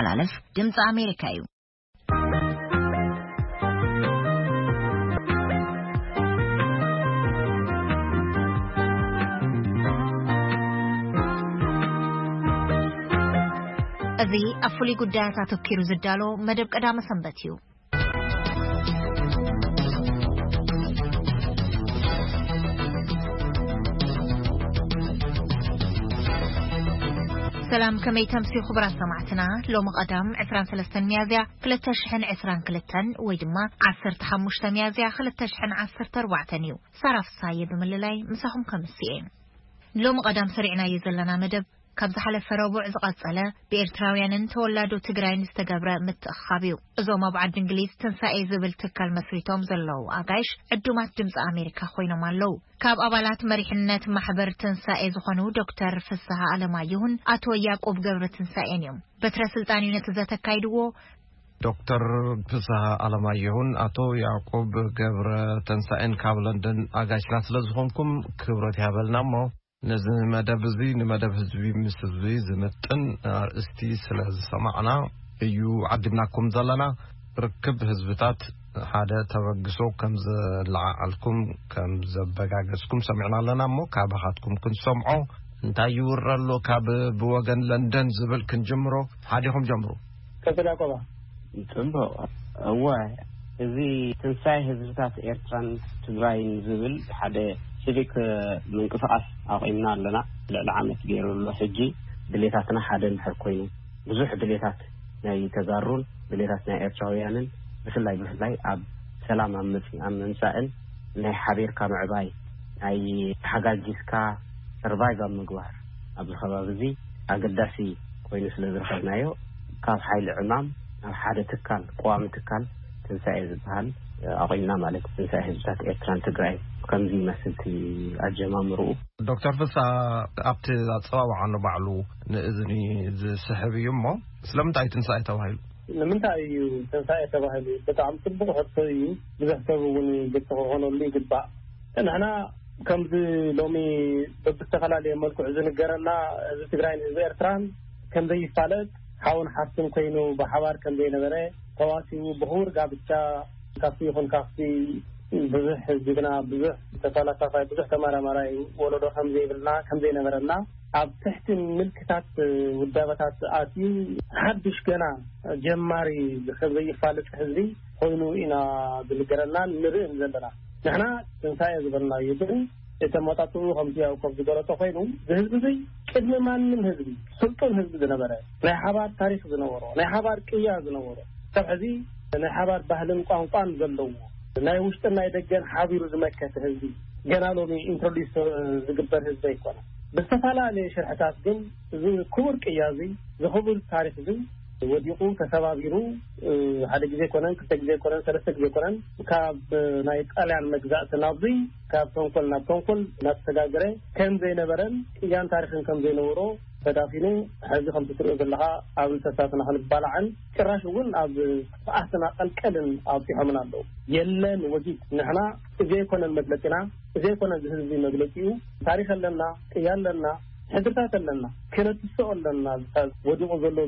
ዝመሓላለፍ ድምፂ ኣሜሪካ እዩ። እዚ ኣብ ፍሉይ ጉዳያት ኣተኪሩ ዝዳሎ መደብ ቀዳመ ሰንበት እዩ። ሰላም፣ ከመይ ተምስዩ ክቡራት ሰማዕትና? ሎሚ ቀዳም ዕስራን ሰለስተን ሚያዝያ ክልተ ሽሕን ዕስራን ክልተን ወይ ድማ ዓሰርተ ሓሙሽተ ሚያዝያ ክልተ ሽሕን ዓሰርተ ኣርባዕተን እዩ። ሳራ ፍሳየ ብምልላይ ምሳኹም ከምስየ። ሎሚ ቀዳም ሰሪዕናዮ ዘለና መደብ ካብ ዝሓለፈ ረቡዕ ዝቐጸለ ብኤርትራውያንን ተወላዶ ትግራይን ዝተገብረ ምትእኻብ እዩ። እዞም ኣብ ዓዲ እንግሊዝ ትንሳኤ ዝብል ትካል መስሪቶም ዘለዉ ኣጋይሽ ዕዱማት ድምፂ ኣሜሪካ ኮይኖም ኣለዉ። ካብ ኣባላት መሪሕነት ማሕበር ትንሳኤ ዝኾኑ ዶክተር ፍስሃ ኣለማየሁን ኣቶ ያዕቆብ ገብረ ትንሳኤን እዮም። በትረ ስልጣን እዩ ነቲ ዘተ ኣካይድዎ። ዶክተር ፍስሃ ኣለማየሁን ኣቶ ያዕቆብ ገብረ ተንሳኤን ካብ ለንደን ኣጋይሽና ስለ ዝኾንኩም ክብረት ይሃበልና። እሞ ነዚ መደብ እዚ ንመደብ ህዝቢ ምስ ህዝቢ ዝምጥን ኣርእስቲ ስለ ዝሰማዕና እዩ ዓዲምናኩም ዘለና። ርክብ ህዝብታት ሓደ ተበግሶ ከም ዘለዓዓልኩም ከም ዘበጋገዝኩም ሰሚዕና ኣለና። እሞ ካባኻትኩም ክንሰምዖ፣ እንታይ ይውረ ኣሎ ካብ ብወገን ለንደን ዝብል ክንጅምሮ። ሓዲኹም ጀምሩ። ቀጽል ያቆባ። ጽቡቕ። እወ፣ እዚ ትንሳኤ ህዝብታት ኤርትራን ትግራይን ዝብል ሓደ ሲቪክ ምንቅስቃስ ኣቑምና ኣለና። ልዕሊ ዓመት ገይሩ ኣሎ። ሕጂ ድሌታትና ሓደ እንድሕር ኮይኑ፣ ብዙሕ ድሌታት ናይ ተጋሩን ድሌታት ናይ ኤርትራውያንን፣ ብፍላይ ብፍላይ ኣብ ሰላም ኣብ ምጽ-፣ ኣብ ምምጻእን ናይ ሓቢርካ ምዕባይ፣ ናይ ተሓጋጊዝካ ሰርቫይቭ ኣብ ምግባር ኣብዚ ከባቢ እዚ ኣገዳሲ ኮይኑ ስለ ዝረኸብናዮ፣ ካብ ሓይሊ ዕማም ናብ ሓደ ትካል፣ ቀዋሚ ትካል ትንሳኤ ዝበሃል ኣቑምና ማለት እዩ። ትንሳኤ ህዝብታት ኤርትራን ትግራይ ከምዚ ይመስል እቲ ኣጀማምርኡ። ዶክተር ፍሳ፣ ኣብቲ ኣጸዋውዓ ንባዕሉ ንእዝኒ ዝስሕብ እዩ። እሞ ስለምንታይ ትንሳኤ ተባሂሉ? ንምንታይ እዩ ትንሳኤ ተባሂሉ? ብጣዕሚ ጽቡቕ ሕቶ እዩ። ብዙሕ ሰብ እውን ግልጺ ክኾነሉ ይግባእ። ንሕና ከምዚ ሎሚ በብዝተፈላለየ መልክዑ ዝንገረና፣ ህዝቢ ትግራይን ህዝቢ ኤርትራን ከም ዘይፋለጥ፣ ሓውን ሓፍትን ኮይኑ ብሓባር ከም ዘይነበረ፣ ተዋሲኡ ብኽቡር ጋብቻ ካብቲ ይኹን ካብቲ ብዙሕ ጅግና፣ ብዙሕ ተፈላሳፋይ፣ ብዙሕ ተመራማራይ ወለዶ ከም ዘይብልና፣ ከም ዘይነበረና፣ ኣብ ትሕቲ ምልክታት ውዳበታት ኣትዩ ሓድሽ ገና ጀማሪ ከም ዘይፋለጥ ህዝቢ ኮይኑ ኢና ዝንገረናን ንርእን ዘለና። ንሕና ትንሳኤ ዝበልናዮ ግን እቲ ኣመጣጥኡ ከምቲ ያዕቆብ ዝገለጾ ኮይኑ፣ እዚ ህዝቢ እዚ ቅድሚ ማንም ህዝቢ፣ ስልጡን ህዝቢ ዝነበረ፣ ናይ ሓባር ታሪኽ ዝነበሮ፣ ናይ ሓባር ቅያ ዝነበሮ፣ ክሳብ ሕዚ ናይ ሓባር ባህልን ቋንቋን ዘለዎ፣ ናይ ውሽጥን ናይ ደገን ሓቢሩ ዝመከተ ህዝቢ፣ ገና ሎሚ ኢንትሮዲስ ዝግበር ህዝቢ ኣይኮነ። ብዝተፈላለየ ሽርሕታት ግን እዚ ክቡር ቅያ እዚ፣ እዚ ክቡር ታሪኽ እዚ ወዲቑ፣ ተሰባቢሩ፣ እ፣ ሓደ ግዜ ኣይኮነን፣ ክልተ ግዜ ኣይኮነን፣ ሰለስተ ግዜ ኣይኮነን፣ ካብ ናይ ጣልያን መግዛእቲ ናብዚ፣ ካብ ተንኮል ናብ ተንኮል እናተሰጋገረ ከም ዘይነበረን ቅያን ታሪኽን ከም ዘይነበሮ ተዳፊኑ፣ ሕዚ ከምቲ ትሪኦ ዘለኻ ኣብ እንሰሳትና ክንባላዕን ጭራሽ እውን ኣብ ጥፍኣትና ቀልቀልን ኣብፂሖምና ኣለዉ። የለን ወጊድ፣ ንሕና እዚ ኣይኮነን መግለፂና፣ እዚ ኣይኮነን እዚ ህዝቢ መግለፂኡ። ታሪኽ ኣለና፣ ቅያ ኣለና፣ ሕድርታት ኣለና፣ ክነትስኦ ኣለና። ወዲቑ ዘሎ፣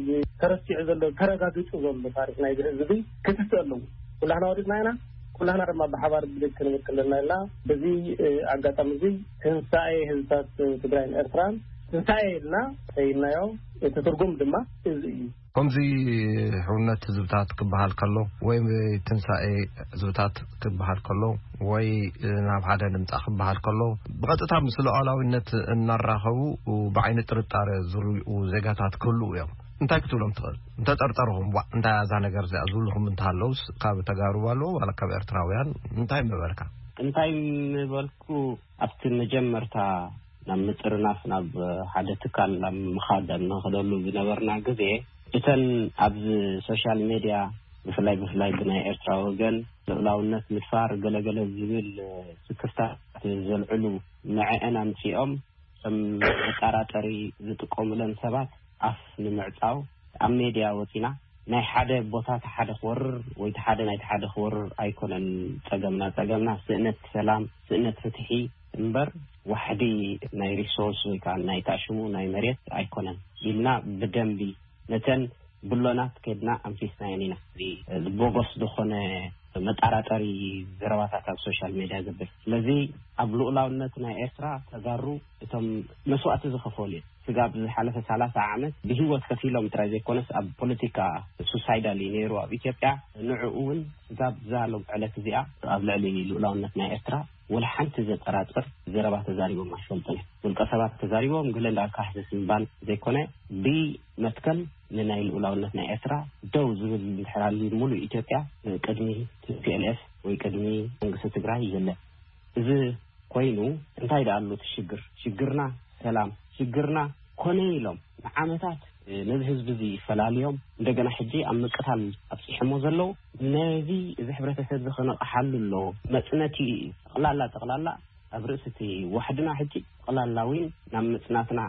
ተረሲዑ ዘሎ፣ ተረጋጊጹ ዘሎ ታሪኽ ናይዚ ህዝቢ እዚ ክትስእ ኣለዎ። ኩላህና ወዲቕና ኢና፣ ኩላህና ድማ ብሓባር ብድግ ክንብል ኣለና ኢልና፣ በዚ፣ እ፣ ኣጋጣሚ እዚ ትንሳኤ ህዝብታት ትግራይን ኤርትራን ትንሳኤ ኢልና ሰይምናዮ። እቲ ትርጉም ድማ እዚ እዩ። ከምዚ ሕውነት ህዝብታት ክበሃል ከሎ፣ ወይ ትንሳኤ ህዝብታት ክበሃል ከሎ፣ ወይ ናብ ሓደ ንምጻእ ክበሃል ከሎ፣ ብቐጥታ ምስ ሉዓላዊነት እናራኸቡ ብዓይኒ ጥርጣረ ዝርእዩ ዜጋታት ክህልዉ እዮም። እንታይ ክትብሎም ትኽእል? እንተጠርጠርኹም፣ "ዋእ፣ እንታይ እያ እዛ ነገር እዚኣ?" ዝብልኹም እንተሃለውስ፣ ካብ ተጋሩ ኣለዉ ዋላ ካብ ኤርትራውያን እንታይ ምበልካ? እንታይ ምበልኩ፣ ኣብቲ መጀመርታ ናብ ምጥርናፍ፣ ናብ ሓደ ትካል ናብ ምኻድ ኣብ ንኸደሉ ዝነበርና ግዜ፣ እተን ኣብዚ ሶሻል ሜድያ ብፍላይ፣ ብፍላይ ብናይ ኤርትራ ወገን ልኡላውነት ምድፋር ገለገለ ዝብል ስክፍታት ዘልዕሉ፣ ንዐአን ኣምጺኦም ከም መጠራጠሪ ዝጥቀሙለን ሰባት ኣፍ ንምዕጻው ኣብ ሜድያ ወጺና፣ ናይ ሓደ ቦታ እቲ ሓደ ክወርር ወይ እቲ ሓደ ናይቲ ሓደ ክወርር ኣይኮነን ጸገምና። ጸገምና ስእነት ሰላም፣ ስእነት ፍትሒ እምበር ዋሕዲ ናይ ሪሶርስ ወይ ከዓ ናይ ታሽሙ ናይ መሬት ኣይኮነን ኢልና ብደንቢ ነተን ብሎናት ከድና ኣንፊስናየን ኢና። እዚ ቦጎስ ዝኾነ መጠራጠሪ ዘረባታት ኣብ ሶሻል ሜድያ ዘብል። ስለዚ ኣብ ልኡላውነት ናይ ኤርትራ ተጋሩ እቶም መስዋእቲ ዝኸፈሉ እዮም። ስጋብ ዝሓለፈ ሰላሳ ዓመት ብህይወት ከፊሎም ጥራይ ዘይኮነስ ኣብ ፖለቲካ ሱሳይዳል እዩ ነይሩ ኣብ ኢትዮጵያ። ንዕኡ እውን ስጋብ እዛ ሎም ዕለት እዚኣ ኣብ ልዕሊ ልኡላውነት ናይ ኤርትራ ወላ ሓንቲ ዘጠራጥር ዘረባ ተዛሪቦም ኣይፈልጡን እዮም። ውልቀ ሰባት ተዛሪቦም ገለ እንዳልካ ሕስስ ምባል ዘይኮነ ብመትከል ንናይ ልኡላውነት ናይ ኤርትራ ደው ዝብል እንድሕር ኣልዩ ሙሉእ ኢትዮጵያ ቅድሚ ቲ ፒ ኤል ኤፍ ወይ ቅድሚ መንግስቲ ትግራይ የለን። እዚ ኮይኑ እንታይ ደኣ ኣሎ እቲ ሽግር? ሽግርና ሰላም፣ ሽግርና ኮነ ኢሎም ንዓመታት ነዚ ህዝቢ እዚ ይፈላልዮም እንደገና ሕጂ ኣብ ምቅታል ኣብፂሖሞ ዘለዉ ነዚ እዚ ሕብረተሰብ እዚ ከነቕሓሉ ኣለዎ። መፅነቲ ጠቕላላ ጠቕላላ ኣብ ርእሲ እቲ ዋሕድና ሕጂ ጠቕላላ እውን ናብ ምፅናትና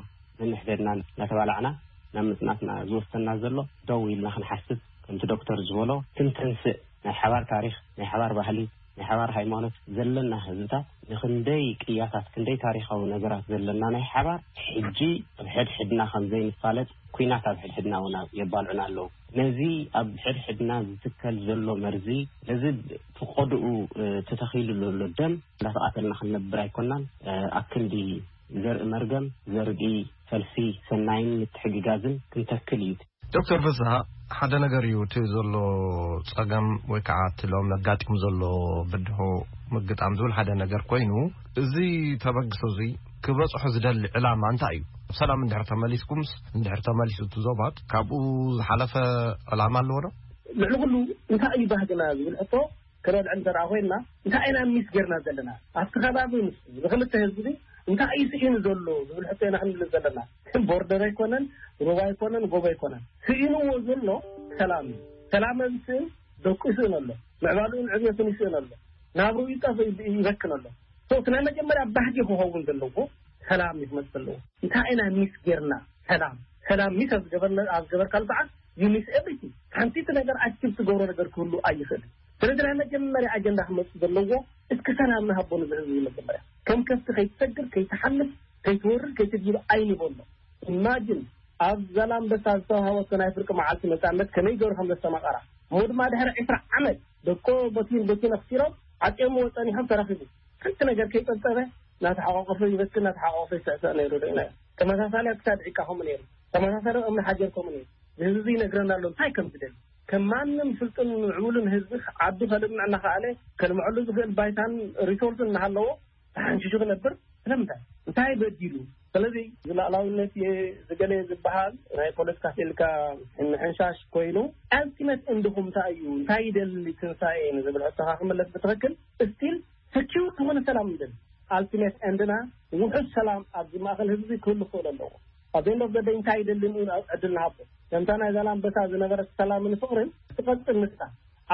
ነንሕደድና እናተባላዕና ናብ ምፅናትና ዝወሰና ዘሎ ደው ኢልና ክንሓስብ ከምቲ ዶክተር ዝበሎ ክንተንስእ ናይ ሓባር ታሪኽ ናይ ሓባር ባህሊ ናይ ሓባር ሃይማኖት ዘለና ህዝብታት ንክንደይ ቅያታት ክንደይ ታሪኻዊ ነገራት ዘለና ናይ ሓባር ሕጂ ኣብ ሕድሕድና ከም ዘይንፋለጥ ኩናት ኣብ ሕድሕድና እውን የባልዑና ኣለዉ። ነዚ ኣብ ሕድሕድና ዝትከል ዘሎ መርዚ ነዚ ፍቆድኡ ተተኺሉ ዘሎ ደም እንዳተቓተልና ክንነብር ኣይኮናን። ኣክንዲ ዘርኢ መርገም ዘርኢ ፈልሲ ሰናይን ምትሕግጋዝን ክንተክል እዩ። ዶክተር ፍስሃ፣ ሓደ ነገር እዩ እቲ ዘሎ ጸገም ወይ ከዓ እቲ ሎም ኣጋጢሙ ዘሎ ብድሆ ምግጣም ዝብል ሓደ ነገር ኮይኑ፣ እዚ ተበግሶ እዚ ክበጽሖ ዝደሊ ዕላማ እንታይ እዩ? ሰላም እንድሕር ተመሊስኩምስ፣ እንድሕር ተመሊሱ እቲ ዞባት ካብኡ ዝሓለፈ ዕላማ ኣለዎ ዶ? ልዕሊ ኩሉ እንታይ እዩ ባህግና ዝብል ሕቶ ክነልዕል እንተ ደኣ ኮይንና እንታይ ኢና ሚስ ጌርና ዘለና ኣብቲ ከባቢ ምስ ብክልተ ህዝቢ እንታይ እዩ ስኢኑ ዘሎ ዝብል ሕቶ ኢና ክንምልስ ዘለና። ቦርደር ኣይኮነን ሩባ ኣይኮነን ጎቦ ኣይኮነን ስኢንዎ ዘሎ ሰላም እዩ። ሰላም ምስእን ደቁ ይስእን ኣሎ፣ ምዕባሉን ዕብየቱን ይስእን ኣሎ፣ ናብሩ ይጠፍ ይበክን ኣሎ። እቲ ናይ መጀመርያ ባህጊ ክኸውን ዘለዎ ሰላም እዩ ክመፅእ ዘለዎ። እንታይ ኢና ሚስ ጌርና ሰላም ሰላም ሚስ ኣብ ዝገበርካሉ ሰዓት you miss everything። ሓንቲ እቲ ነገር ኣክቲቭ ትገብሮ ነገር ክህሉ ኣይኽእልን። ስለዚ ናይ መጀመርያ ኣጀንዳ ክመፅእ ዘለዎ እስኪ ሰላም ንሃቦ ንዚ ህዝቢ መጀመርያ ከም ከፍቲ ከይትሰግር ከይትሓልፍ ከይትወርድ ከይትድይብ ኣይንበሎ። ኢማጅን ኣብ ዛላምበሳ ዝተዋሃበቶ ናይ ፍርቂ መዓልቲ ነፃነት ከመይ ገይሩ ከም ዘስተማቐራ እሞ ድማ ድሕሪ ዕስራ ዓመት ደቆ ቦቲን ቦቲን ኣኽሲሮም ዓፅዮምዎ ፀኒሖም ተረኺቡ ሓንቲ ነገር ከይፀብፀበ እናተሓቋቆፈ ይበኪ እናተሓቋቆፈ ይስዕስዕ ነይሩ ርኢናዮ። ተመሳሳሊ ኣብ ክሳድ ዒቃ ከምኡ ነይሩ። ተመሳሳሊ ኣብ እምኒ ሓጀር ከምኡ ነይሩ። ህዝቢ ይነግረና ኣሎ እንታይ ከም ዝደሊ። ከም ማንም ስልጡን ምዕቡልን ህዝቢ ዓዱ ከልምዕ እናኸኣለ ከልምዐሉ ዝኽእል ባይታን ሪሶርስን እናሃለዎ ተሓንሺሹ ክነብር ስለምንታይ? እንታይ በዲሉ? ስለዚ ዝላዕላውነት ዝገለ ዝበሃል ናይ ፖለቲካ ስእልካ ምሕንሻሽ ኮይኑ ኣልቲመት እንድኹም እንታይ እዩ እንታይ ይደሊ ትንሳኤ ንዝብል ሕቶኻ ክምለስ ብትኽክል ስቲል ሰኪውር ዝኾነ ሰላም ንደሊ። ኣልቲሜት ኤንድና ውሑስ ሰላም ኣብዚ ማእኸል ህዝቢ ክህሉ ክኽእል ኣለዎ። ኣብ ኤንድ ኦፍ ዘ ደይ እንታይ ይደሊ ንኡ ዕድል ንሃቦ። ከምታ ናይ ዛላምበሳ ዝነበረት ሰላምን ፍቕርን ትቐፅል ንሳ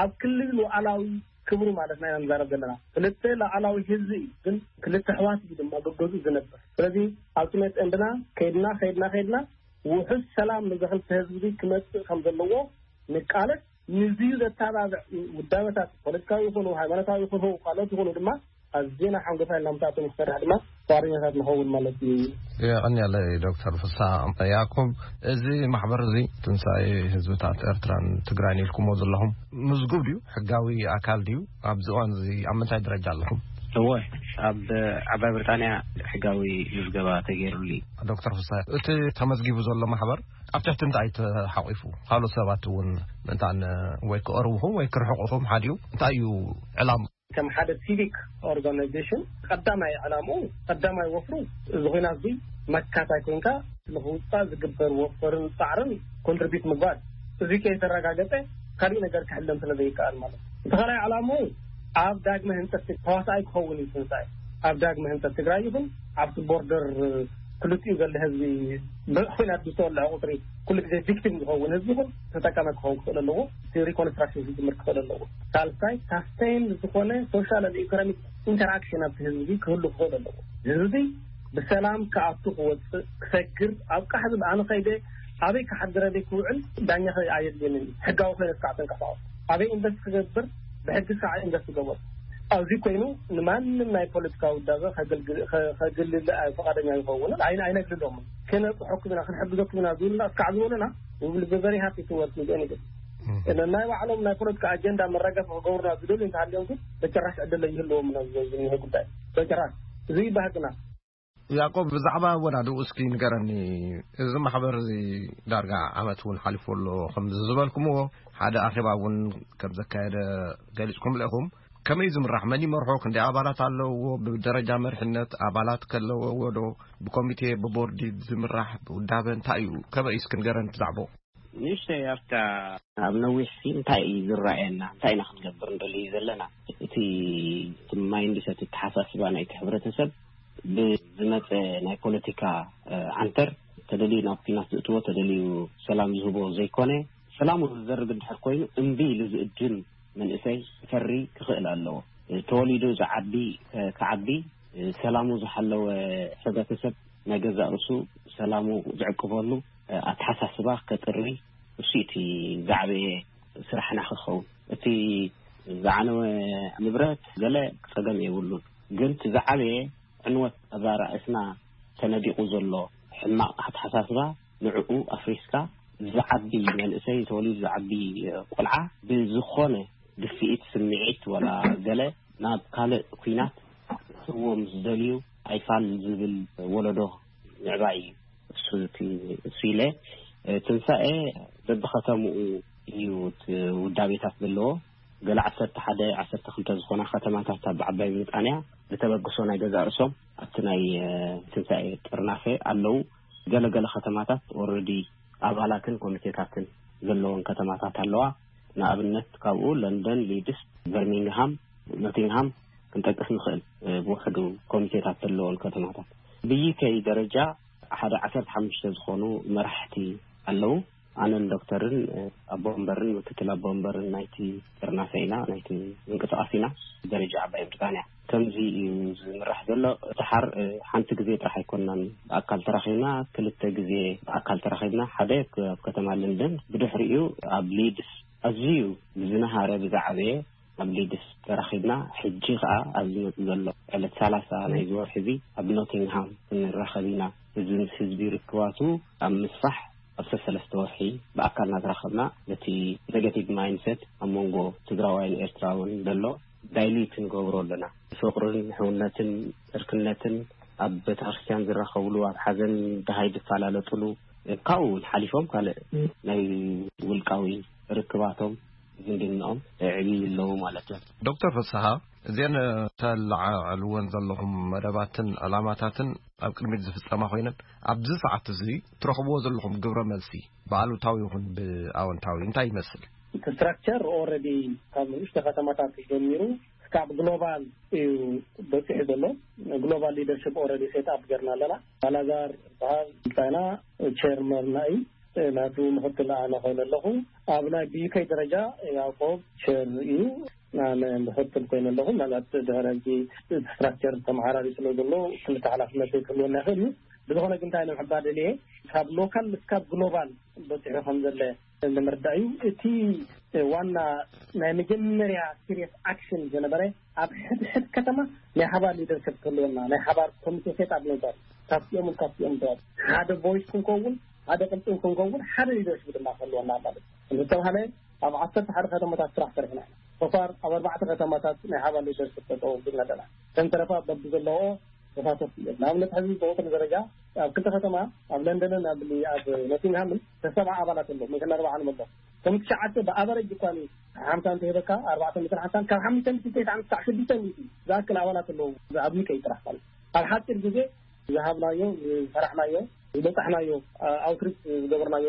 ኣብ ክልል ሉዓላዊ ክብሩ ማለት ኢና ንዛረብ ዘለና። ክልተ ሉዓላዊ ህዝቢ እዩ፣ ግን ክልተ ኣሕዋት እዩ ድማ ገገዙ ዝነብር። ስለዚ ኣልቲሜት ኤንድና ከይድና ከይድና ከይድና ውሑስ ሰላም ንዚ ክልተ ህዝቢ ክመፅእ ከም ዘለዎ ንቃለስ። ንዚዩ ዘተባብዕ ውዳበታት ፖለቲካዊ ይኹኑ ሃይማኖታዊ ይኹኑ ካልኦት ይኹኑ ድማ ኣዝና ሓንጎፋይ እናምታእቶም ክሰርሕ ድማ ዋርኛታት ንኸውን ማለት እዩ። የቐንየለይ ዶክተር ፍስሃ ያዕቆብ። እዚ ማሕበር እዚ ትንሳኤ ህዝብታት ኤርትራን ትግራይን ኢልኩሞ ዘለኹም ምዝጉብ ድዩ? ሕጋዊ ኣካል ድዩ? ኣብዚ እዋን እዚ ኣብ ምንታይ ደረጃ ኣለኹም? እወ፣ ኣብ ዓባይ ብሪጣንያ ሕጋዊ ምዝገባ ተገይሩሉ እዩ። ዶክተር ፍስሃ፣ እቲ ተመዝጊቡ ዘሎ ማሕበር ኣብ ትሕቲ እንታይ እዩ ተሓቒፉ? ካልኦት ሰባት እውን ምእንታን ወይ ክቐርብኹም ወይ ክርሕቑኹም ሓድዩ እንታይ እዩ ዕላማ? ከም ሓደ ሲቪክ ኦርጋናይዜሽን ቀዳማይ ዕላምኡ ቀዳማይ ወፍሩ እዚ ኹናት እዚ መካታይ ኮንካ ንኽውፃእ ዝግበር ወፈርን ፃዕርን ኮንትሪቢዩት ምግባር እዚ ከይተረጋገፀ ካሊእ ነገር ክሕለም ስለ ዘይከኣል ማለት እዩ። እቲ ካልኣይ ዕላምኡ ኣብ ዳግመ ህንፀት ተዋሳኣይ ክኸውን እዩ ትንሳኤ። ኣብ ዳግመ ህንፀት ትግራይ ይኹን ኣብቲ ቦርደር ክልቲኡ ዘሎ ህዝቢ ብኹናት ብዝተወለዐ ቁፅሪ ኩሉ ግዜ ቪክቲም ዝኸውን ህዝቢ ይኹን ተጠቃሚ ክኸውን ክኽእል ኣለዎ። እቲ ሪኮንስትራክሽን ክጅምር ክኽእል ኣለዎ። ሳልሳይ ሳስቴን ዝኾነ ሶሻል ኢኮኖሚክ ኢንተራክሽን ኣብቲ ህዝቢ ክህሉ ክኽእል ኣለዎ። ህዝቢ ብሰላም ክኣቱ ክወፅእ ክሰግር ኣብ ቃሕ ዝብል ኣነ ከይደ ኣበይ ክሓድር ኣበይ ክውዕል ዳኛ ኣየድልየንን እዩ። ሕጋዊ ኮይነ ስካዕ ተንቀሳቐስ ኣበይ ኢንቨስት ክገብር ብሕጊ ስካዕ ኢንቨስት ክገብር ኣብዚ ኮይኑ ንማንም ናይ ፖለቲካ ውዳበ ከገልግል ፍቃደኛ ይኸውን ኣይነግልሎምን። ክነጽሐኩም ኢና፣ ክንሕግዘኩም ኢና ዝብሉና እስካዕ ዝበሉና፣ we will be very happy to work with anybody። ናይ ባዕሎም ናይ ፖለቲካ ኣጀንዳ መረጋፊ ክገብሩና ዝደልዩ እንተሃልዮም ግን በጭራሽ ዕድል ይህልዎም። ዝኒሀ ጉዳይ በጭራሽ እዚ ይባህግና። ያዕቆብ፣ ብዛዕባ ኣወዳድኡ እስኪ ንገረኒ። እዚ ማሕበር እዚ ዳርጋ ዓመት እውን ሓሊፎ ኣሎ። ከም ዝበልኩምዎ ሓደ ኣኼባ እውን ከም ዘካየደ ገሊጽኩም ኣለኹም። ከመይ ዝምራሕ፣ መን ይመርሖ፣ ክንደይ ኣባላት ኣለውዎ፣ ብደረጃ መሪሕነት ኣባላት ከለውዎ ዶ፣ ብኮሚቴ ብቦርዲ ዝምራሕ፣ ብውዳበ እንታይ እዩ? ከመይ እስኪ ንገረኒ ብዛዕባኡ። ንእሽተይ ኣብታ ኣብ ነዊሕ ሲ እንታይ እዩ ዝረኣየና፣ እንታይ ኢና ክንገብር እንደልዩ ዘለና? እቲ ማይንድሰት፣ ኣተሓሳስባ ናይቲ ሕብረተሰብ ብዝመፀ ናይ ፖለቲካ ዓንተር፣ ተደልዩ ናብ ኲናት ዝእትዎ፣ ተደልዩ ሰላም ዝህቦ ዘይኮነ፣ ሰላሙ ዝዘርግ እንድሕር ኮይኑ እምቢ ኢሉ ዝእድም መንእሰይ ክፈሪ ክኽእል ኣለዎ። ተወሊዱ ዝዓቢ ክዓቢ፣ ሰላሙ ዝሓለወ ሕብረተሰብ ናይ ገዛእ ርእሱ ሰላሙ ዝዕቅበሉ ኣተሓሳስባ ከጥሪ፣ እሱ እቲ ዝዓበየ ስራሕና ክኸውን። እቲ ዝዓነወ ንብረት ገለ ጸገም የብሉን፣ ግን እቲ ዝዓበየ ዕንወት ኣዛ ርእስና ተነዲቑ ዘሎ ሕማቕ ኣተሓሳስባ፣ ንዕኡ ኣፍሪስካ ዝዓቢ መንእሰይ፣ ተወሊዱ ዝዓቢ ቆልዓ ብዝኾነ ድፍኢት ስምዒት ዋላ ገለ ናብ ካልእ ኲናት ክእትዎም ዝደልዩ ኣይፋል ዝብል ወለዶ ምዕባይ እዩ። እሱ ኢለ ትንሳኤ በብኸተምኡ እዩ ውዳቤታት ዘለዎ። ገለ ዓሰርተ ሓደ ዓሰርተ ክልተ ዝኾና ከተማታት ኣብ ዓባይ ብሪጣንያ ዝተበግሶ ናይ ገዛእ ርእሶም ኣብቲ ናይ ትንሳኤ ጥርናፈ ኣለዉ። ገለገለ ከተማታት ኦረዲ ኣባላትን ኮሚቴታትን ዘለዎን ከተማታት ኣለዋ። ንኣብነት ካብኡ ለንደን፣ ሊድስ፣ በርሚንግሃም፣ ኖቲንግሃም ክንጠቅስ ንኽእል። ብውሕዱ ኮሚቴታት ዘለዎን ከተማታት ብዩኬ ደረጃ ሓደ ዓሰርተ ሓሙሽተ ዝኾኑ መራሕቲ ኣለዉ። ኣነን ዶክተርን ኣቦ ወንበርን ምክትል ኣቦ ወንበርን ናይቲ ጥርናፈ ኢና፣ ናይቲ ምንቅስቃስ ኢና። ደረጃ ዓባይ ብሪጣንያ ከምዚ እዩ ዝምራሕ ዘሎ። እቲ ሓር ሓንቲ ግዜ ጥራሕ ኣይኮናን ብኣካል ተራኺብና፣ ክልተ ግዜ ብኣካል ተራኺብና፣ ሓደ ኣብ ከተማ ለንደን፣ ብድሕሪኡ ኣብ ሊድስ ኣዝዩ ብዝነሃረ ብዝዓበየ ኣብ ሊድስ ተራኺብና። ሕጂ ከዓ ኣብ ዝመፅእ ዘሎ ዕለት ሰላሳ ናይዚ ወርሒ እዚ ኣብ ኖቲንግሃም ክንራኸብ ኢና። እዚ ምስ ህዝቢ ርክባቱ ኣብ ምስፋሕ ኣብ ሰሰለስተ ወርሒ ብኣካል እናተራኸብና ነቲ ኔጋቲቭ ማይንድሰት ኣብ መንጎ ትግራዋይን ኤርትራውን ዘሎ ዳይሉት ንገብሮ ኣለና። ፍቕርን ሕውነትን ዕርክነትን ኣብ ቤተክርስትያን ዝራኸብሉ፣ ኣብ ሓዘን ደሃይ ዝፈላለጥሉ፣ ካብኡ እውን ሓሊፎም ካልእ ናይ ውልቃዊ ርክባቶም ዝምድንኦም የዕብዩ ኣለዉ ማለት እዩ። ዶክተር ፍስሃ፣ እዘን ተለዓዕልወን ዘለኹም መደባትን ዕላማታትን ኣብ ቅድሚት ዝፍጸማ ኮይነን፣ ኣብዚ ሰዓት እዚ ትረኽብዎ ዘለኹም ግብረ መልሲ ብኣሉታዊ ይኹን ብኣወንታዊ እንታይ ይመስል? እቲ ስትራክቸር ኦረዲ ካብ ንእሽቶ ከተማታት ጀሚሩ እስካብ ግሎባል እዩ በፂሑ ዘሎ። ግሎባል ሊደርሽፕ ኦረዲ ሴት ኣፕ ገርና ኣለና። ባላዛር ዝበሃል እንታይና ቸርመርና እዩ። ናቱ ምክትል ኣነ ኮይነ ኣለኹ። ኣብ ናይ ብዩከይ ደረጃ ያዕቆብ ቸር እዩ። ኣነ ምክትል ኮይነ ኣለኹ። ምናልባት ድሕሪ ሕጂ እቲ ስትራክቸር ተመሓራሪ ስለ ዘሎ ክልተ ሓላፍነት ክህልወና ይኽእል እዩ። ብዝኾነ ግን እንታይ ንምሕባር ደልየ ካብ ሎካል እስካብ ግሎባል በፂሑ ከም ዘለ ንምርዳእ እዩ። እቲ ዋና ናይ መጀመርያ ሲሪየስ ኣክሽን ዝነበረ ኣብ ሕድሕድ ከተማ ናይ ሓባር ሊደርሽፕ ክህልወና፣ ናይ ሓባር ኮሚቴ ሴት ኣፕ ነበር ካብቲኦም ካብቲኦም ተዋል ሓደ ቮይስ ክንከውን፣ ሓደ ቅልጥም ክንከውን፣ ሓደ ሊደርሽፕ ድማ ክህልወና ማለት እዩ። እንተተባሃለ ኣብ ዓሰርተ ሓደ ከተማታት ስራሕ ሰሪሕና ኢና። ሶፋር ኣብ ኣርባዕተ ከተማታት ናይ ሓባር ሊደርሽፕ ተጠው ቢልና ኣለና። ከም ተረፋ በቢ ዘለዎ ተሳተፍቲ እዮም። ንኣብነት ሕዚ ብቁፅሪ ደረጃ ኣብ ክልተ ከተማ ኣብ ለንደንን ኣብ ኣብ ኖቲንግሃምን ተሰብዓ ኣባላት ኣለዉ። መሸን ኣርባዓን ኣሎ። ከም ትሽዓተ ብኣቨረጅ እኳ ሓምሳ እንተሂበካ ኣርባዕተ ሚእትን ሓምሳን ካብ ሓሙሽተ ሚእቲ ተስዓን ክሳዕ ሽዱሽተ ሚእቲ ዝኣክል ኣባላት ኣለዉ። ኣብ ዩኬ ጥራሕ ማለት ኣብ ሓፂር ግዜ ዝሃብናዮ ዝሰራሕናዮ ዝበፃሕናዮ ኣውትሪች ዝገበርናዮ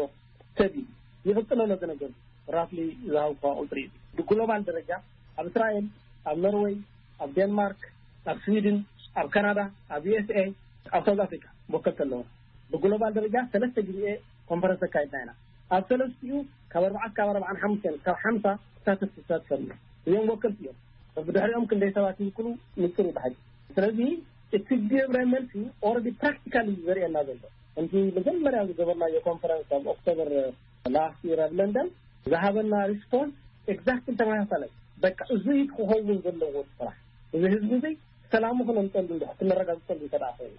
ሰብ እዩ። ይቕፅል ኣሎ። ዝነገር ራፍሊ ዝሃብኳ ቁፅሪ እዩ። ብግሎባል ደረጃ ኣብ እስራኤል፣ ኣብ ኖርወይ፣ ኣብ ዴንማርክ፣ ኣብ ስዊድን፣ ኣብ ካናዳ፣ ኣብ ዩ ኤስ ኤ፣ ኣብ ሳውዝ ኣፍሪካ መወከልቲ ኣለዎ። ብግሎባል ደረጃ ሰለስተ ግዜ ኮንፈረንስ ኣካይድና ኢና። ኣብ ሰለስቲኡ ካብ ኣርባዓ ካብ ኣርባዓን ሓሙሽተን ካብ ሓምሳ ተሳተፍቲ ተሳትፈሉ እዮም። ወከልቲ እዮም። ብድሕሪኦም ክንደይ ሰባት ይውክሉ ንፅር ይባሃል። ስለዚ እቲ ግብረ መልሲ ኦረዲ ፕራክቲካሊ ዘርእየና ዘሎ። ከምቲ መጀመርያ ዝገበርናዮ ኮንፈረንስ ኣብ ኦክቶበር ላስት ይር ኣብ ለንደን ዝሃበና ሪስፖንስ ኤግዛክትሊ ተመሳሳላይ። በቃ እዚ ክኸውን ዘለዎ ስራሕ። እዚ ህዝቢ እዚ ሰላሙ ክነምፀሉ እንድሕር ክነረጋግፀሉ እንተ ደኣ ኮይና፣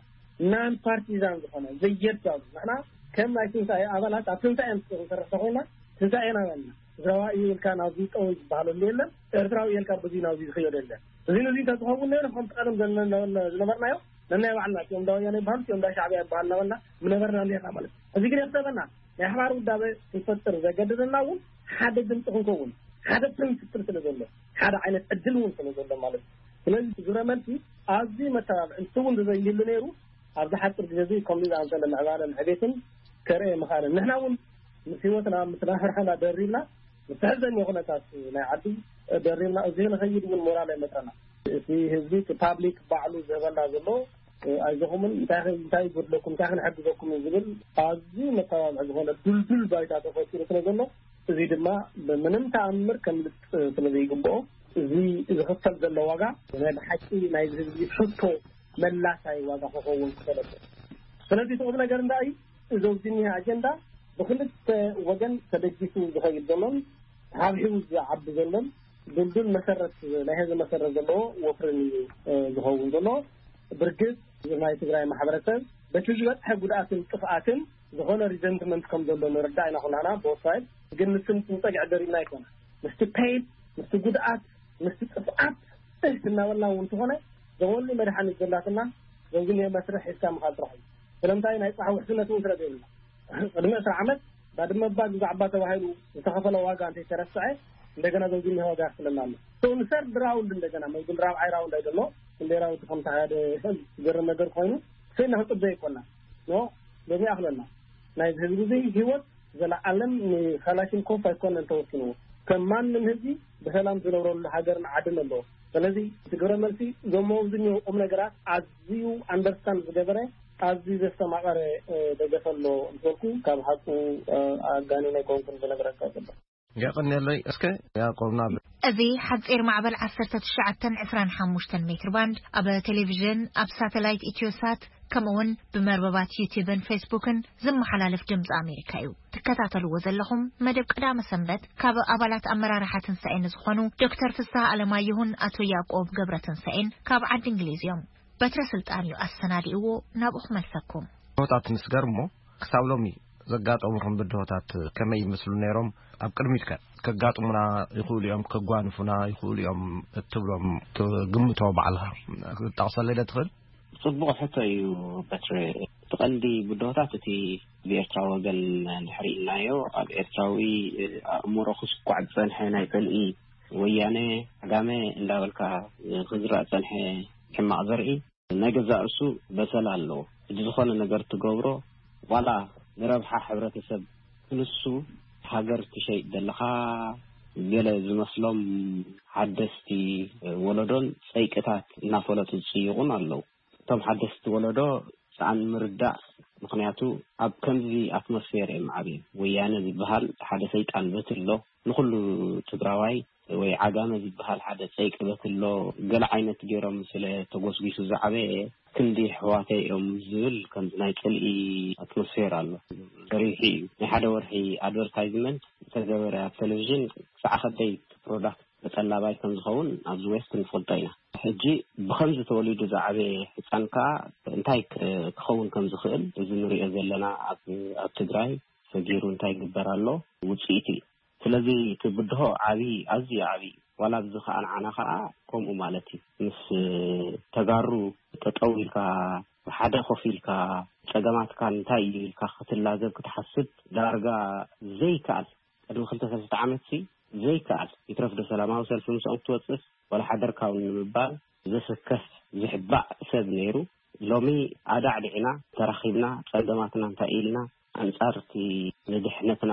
ናን ፓርቲዛን ዝኾነ ዘየዳሉ፣ ንሕና ከም ናይ ትንሳኤ ኣባላት ኣብ ትንሳኤ ክንሰርሕ ተኮይና፣ ትንሳኤና በልና። ትግራዋይ እዩ ኢልካ ናብዚ ጠው ዝበሃለሉ የለን። ኤርትራዊ ኢልካ በዚ ናብዚ ዝኽየዶ የለን። እዚ ነዚ እንተዝኸውን ነይሩ፣ ከምቲ ቀደም ዘለና ዝነበርናዮ፣ ነናይ ባዕልና፣ እቲኦም እንዳ ወያነ ይበሃሉ፣ እቲኦም እንዳ ሻዕብያ ይበሃሉ እናበልና ምነበርና ነርና ማለት እዩ። እዚ ግን የኽሰበና፣ ናይ ሓባር ውዳበ ክንፈጥር ዘገደደና እውን ሓደ ድምፂ ክንከውን፣ ሓደ ፕሪንስፕል ስለ ዘሎ፣ ሓደ ዓይነት ዕድል እውን ስለ ዘሎ ማለት እዩ። ስለዚ ግብረ መልሲ ኣዝዩ መተባብዒ፣ ንሱ እውን ተዘይህሉ ነይሩ፣ ኣብዚ ሓፂር ግዜ እዚ ከምዚ ዝኣመሰለ ምዕባለን ዕቤትን ከርእየ ምኽኣለን። ንሕና እውን ምስ ህይወትና፣ ምስ ናብራና ደሪብና፣ ምስ ተሕዘኒ ኩነታት ናይ ዓዲ ደሪብና፣ እዚ ንኸይድ እውን ሞራል ኣይመፀና። እቲ ህዝቢ፣ እቲ ፓብሊክ ባዕሉ ዝህበና ዘሎ፣ ኣይዞኹምን፣ እንታይ፣ እንታይ ይጎድለኩም፣ እንታይ ክንሕግዘኩም እዩ ዝብል ኣዝዩ መተባብዒ ዝኾነ ድልዱል ባይታ ተፈጢሩ ስለ ዘሎ፣ እዚ ድማ ብምንም ተኣምር ከምልጥ ስለ ዘይግብኦ፣ እዚ ዝኽፈል ዘሎ ዋጋ ናይ ብሓቂ ናይ ህዝቢ ሕቶ መላሳይ ዋጋ ክኸውን ክፈለጥ። ስለዚ እቲ ቁም ነገር እንታይ እዩ? እዚ ኣብዚ እኒሀ ኣጀንዳ ብክልተ ወገን ተደጊፉ ዝኸይድ ዘሎን ተሓብሒቡ ዝዓቢ ዘሎን ድልዱል መሰረት፣ ናይ ህዝቢ መሰረት ዘለዎ ወፍርን እዩ፣ እ፣ ዝኸውን ዘሎ። ብርግጽ ናይ ትግራይ ማሕበረሰብ በቲ ዝበፅሐ ጉድኣትን ጥፍኣትን ዝኾነ ሪዘንትመንት ከም ዘሎ ንርዳእ ኢና ኩላና ብወሳይድ። ግን ንስም ክንፀግዕ ደሪብና ኣይኮነ። ምስቲ ፔይድ፣ ምስቲ ጉድኣት፣ ምስቲ ጥፍኣት እህ እናበልና እውን እንተኾነ ዘወሊ መድሓኒት ዘላትና ዘውግን መስርሕ ሒዝካ ምኻድ ጥራሕ እዩ። ስለምንታይ ናይ ፅባሕ ውሕስነት እውን ስለ ዘይብልና። ቅድሚ ዕስራ ዓመት ባድመ እባ ግዛዕ እባ ተባሂሉ ዝተኸፈለ ዋጋ እንተይተረስዐ እንደገና ዘውግን ዋጋ ይኽፍለና ኣሎ። So ንሰርድ ራውንድ እንደገና መዝግን ራብዓይ ራውንድ ኣይደሎ ክንደይ ራውንድ ከም ተኻየደ ዝገርም ነገር ኮይኑ ስኢና ክንፅበ ይኮና። ኖ፣ ሎሚ ይኣኽለና። ናይ ህዝቢ እዚ ህይወት ዘለዓለም ንካላሽንኮፍ ኣይኮነን ተወሲንዎ። ከም ማንም ህዝቢ ብሰላም ዝነብረሉ ሃገርን ዓድን ኣለዎ። ስለዚ እቲ ግብረ መልሲ እዞም ኣብዚ እኒኦ ቁም ነገራት ኣዝዩ ኣንደርስታንድ ዝገበረ፣ ኣዝዩ ዘስተማቐረ፣ እ፣ ደገፈ ኣሎ እንትበልኩ ካብ ሓቁ፣ እ፣ ኣጋኒነ ኣይኮንኩን ዝነግረካ ዘሎ። የቐንየለይ። እስከ ያዕቆብ ናብ እዚ ሓጺር ማዕበል ዓሰርተ ትሽዓተ ዕስራን ሓሙሽተን ሜትር ባንድ ኣብ ቴሌቪዥን፣ ኣብ ሳተላይት ኢትዮሳት፣ ከምኡውን ብመርበባት ዩቲዩብን ፌስቡክን ዝመሓላለፍ ድምፂ ኣሜሪካ እዩ። ትከታተልዎ ዘለኹም መደብ ቀዳመ ሰንበት ካብ ኣባላት ኣመራርሓ ትንሳኤ ንዝኾኑ ዶክተር ፍስሐ ኣለማየሁን ኣቶ ያዕቆብ ገብረ ትንሳኤን ካብ ዓዲ እንግሊዝ እዮም። በትረ ስልጣን እዩ ኣሰናዲእዎ፣ ናብኡ ክመልሰኩም። ሆታት ንስገር እሞ፣ ክሳብ ሎሚ ዘጋጠሙኹም ብድሆታት ከመይ ይመስሉ ነይሮም? ኣብ ቅድሚት ከ ከጋጥሙና ይኽእሉ እዮም፣ ከጓንፉና ይኽእሉ እዮም እትብሎም ትግምቶ ባዕልኻ ክትጠቕሰለይ ዶ ትኽእል? ጽቡቕ ሕቶ እዩ በትረ። እቲ ቀንዲ ብድሆታት እቲ ብኤርትራዊ ወገን እንድሕር ኢልናዮ፣ ኣብ ኤርትራዊ ኣእምሮ ክስኳዕ ዝጸንሐ ናይ ጽልኢ ወያነ ዓጋመ እንዳበልካ ክዝራእ ዝጸንሐ ሕማቕ ዘርኢ ናይ ገዛእ ርእሱ በሰል ኣለዎ። ሕጂ ዝኾነ ነገር ትገብሮ ዋላ ንረብሓ ሕብረተሰብ ክንሱ ሃገር ትሸይጥ ዘለኻ ገለ ዝመስሎም ሓደስቲ ወለዶን ጸይቅታት እናፈለጡ ዝጽይቑን ኣለዉ። እቶም ሓደስቲ ወለዶ ሰኣን ምርዳእ፣ ምኽንያቱ ኣብ ከምዚ ኣትሞስፌር እዮም ዓብዮም። ወያነ ዝበሃል ሓደ ሰይጣን በትሎ ንኹሉ ትግራዋይ ወይ ዓጋመ ዝበሃል ሓደ ጸይቂ በትሎ ገለ ዓይነት ገይሮም ስለ ተጎስጒሱ ዝዓበየ ክንዲ ኣሕዋተይ እዮም ዝብል ከምዚ ናይ ጽልኢ ኣትሞስፌር ኣሎ። ገሪሑ እዩ። ናይ ሓደ ወርሒ ኣድቨርታይዝመንት ዝተገበረ ኣብ ቴሌቪዥን ክሳዕ ከደይ ፕሮዳክት ተጠላባይ ከም ዝኸውን ኣብዚ ዌስት ንፈልጦ ኢና። ሕጂ ብኸምዚ ተወሊዱ ዝዓበየ ህጻን ከኣ እንታይ ክ-፣ ክኸውን ከም ዝኽእል እዚ ንሪኦ ዘለና ኣብ፣ ኣብ ትግራይ ሰጊሩ እንታይ ይግበር ኣሎ ውጽኢቱ እዩ። ስለዚ እቲ ብድሆ ዓቢ፣ ኣዝዩ ዓቢ እዩ። ዋላ ኣብዚ ከኣ ንዓና ከኣ ከምኡ ማለት እዩ። ምስ ተጋሩ ጠጠው ኢልካ፣ ብሓደ ኮፍ ኢልካ፣ ጸገማትካ እንታይ እዩ ኢልካ ክትላዘብ ክትሓስብ ዳርጋ ዘይከኣል። ቅድሚ ክልተ ሰለስተ ዓመትሲ ዘይከኣል። ይትረፍ ዶ ሰላማዊ ሰልፊ ምስኦም ክትወጽእስ ዋላ ሓደርካ እውን ንምባል ዘሰከፍ ዝሕባእ ሰብ ነይሩ። ሎሚ ኣዳዕዲዕና ተራኺብና ጸገማትና እንታይ ኢልና ኣንጻር እቲ ንድሕነትና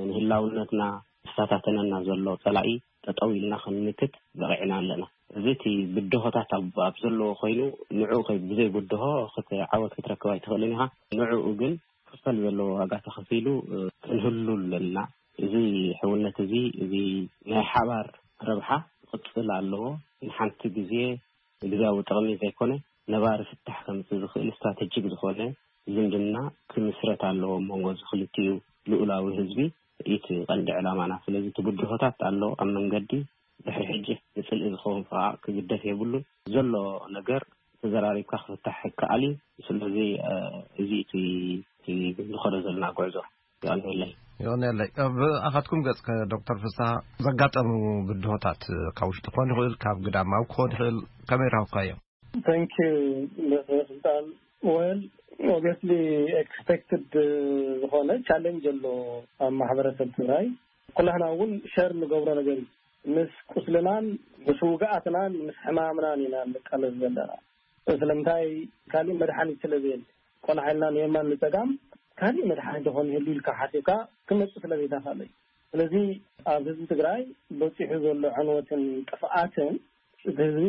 ንህላውነትና ዝፈታተነና ዘሎ ጸላኢ ጠጠው ኢልና ክንምክት በቒዕና ኣለና። እዚ እቲ ብድሆታት ኣብ፣ ኣብ ዘለዎ ኮይኑ ንዕኡ ከይ-፣ ብዘይ ብድሆ ክት-፣ ዓወት ክትረክብ ኣይትኽእልን ኢኻ። ንዕኡ ግን ክፈል ዘለዎ ዋጋ ተኸፊሉ፣ እ፣ ክንህሉ ኣለና። እዚ ሕውነት እዚ፣ እዚ ናይ ሓባር ረብሓ ክቕጽል ኣለዎ። ንሓንቲ ግዜ ግዝያዊ ጥቕሚ ዘይኮነ ነባሪ ፍታሕ ከምጽእ ዝኽእል ስትራተጂክ ዝኾነ ዝምድና ክምስረት ኣለዎ ኣብ መንጎ እዚ ክልቲኡ ልኡላዊ ህዝቢ። እቲ ቀንዲ ዕላማና። ስለዚ እቲ ብድሆታት ኣሎ ኣብ መንገዲ። ድሕሪ ሕጂ ጽልኢ ዝኸውን ከዓ ክግደፍ የብሉን። ዘሎ ነገር ተዘራሪብካ ክፍታሕ ይከኣል እዩ። ስለዚ እዚ እቲ ዝኸዶ ዘለና ጉዕዞ ይቀንየለይ። ይቀንየለይ። ብኣኻትኩም ገጽ ዶክተር ፍስሓ፣ ዘጋጠሙ ብድሆታት ካብ ውሽጢ ክኾን ይኽእል፣ ካብ ግዳማዊ ክኾን ይኽእል፣ ከመይ ረኸብካዮ? Thank you ስልጣን። Well, obviously expected ዝኾነ challenge ኣሎ ኣብ ማሕበረሰብ ትግራይ። ኩላህና እውን share ንገብሮ ነገር እዩ። ምስ ቁስልናን ምስ ውግኣትናን ምስ ሕማምናን ኢና ንቃለስ ዘለና። ስለምንታይ? ካሊእ መድሓኒት ስለ ዘየለ። ቆልዓ ኢልና ንየማን ንፀጋም ካሊእ መድሓኒት ዝኾን ይህሉ ኢልካ ሓሲብካ ክመፅእ ስለ ዘይተኻእለ እዩ። ስለዚ ኣብ ህዝቢ ትግራይ በፂሑ ዘሎ ዕንወትን ጥፍኣትን እቲ ህዝቢ